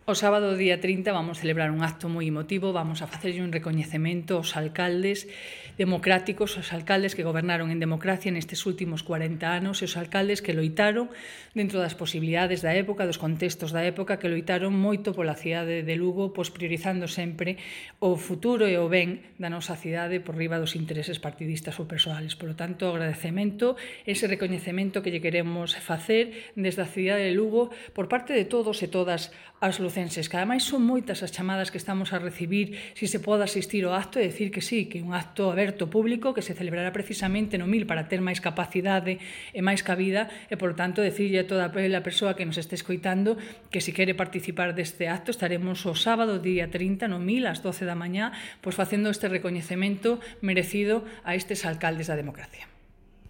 O sábado día 30 vamos celebrar un acto moi emotivo, vamos a facerlle un recoñecemento aos alcaldes democráticos, aos alcaldes que gobernaron en democracia nestes últimos 40 anos e os alcaldes que loitaron dentro das posibilidades da época, dos contextos da época, que loitaron moito pola cidade de Lugo, pois priorizando sempre o futuro e o ben da nosa cidade por riba dos intereses partidistas ou persoales. Por lo tanto, agradecemento, ese recoñecemento que lle queremos facer desde a cidade de Lugo por parte de todos e todas as lucenses, que ademais son moitas as chamadas que estamos a recibir se se pode asistir ao acto e decir que sí, que é un acto aberto público que se celebrará precisamente no MIL para ter máis capacidade e máis cabida e, por tanto, decirlle a toda a persoa que nos este escoitando que se quere participar deste acto estaremos o sábado día 30 no MIL ás 12 da mañá pois facendo este recoñecemento merecido a estes alcaldes da democracia.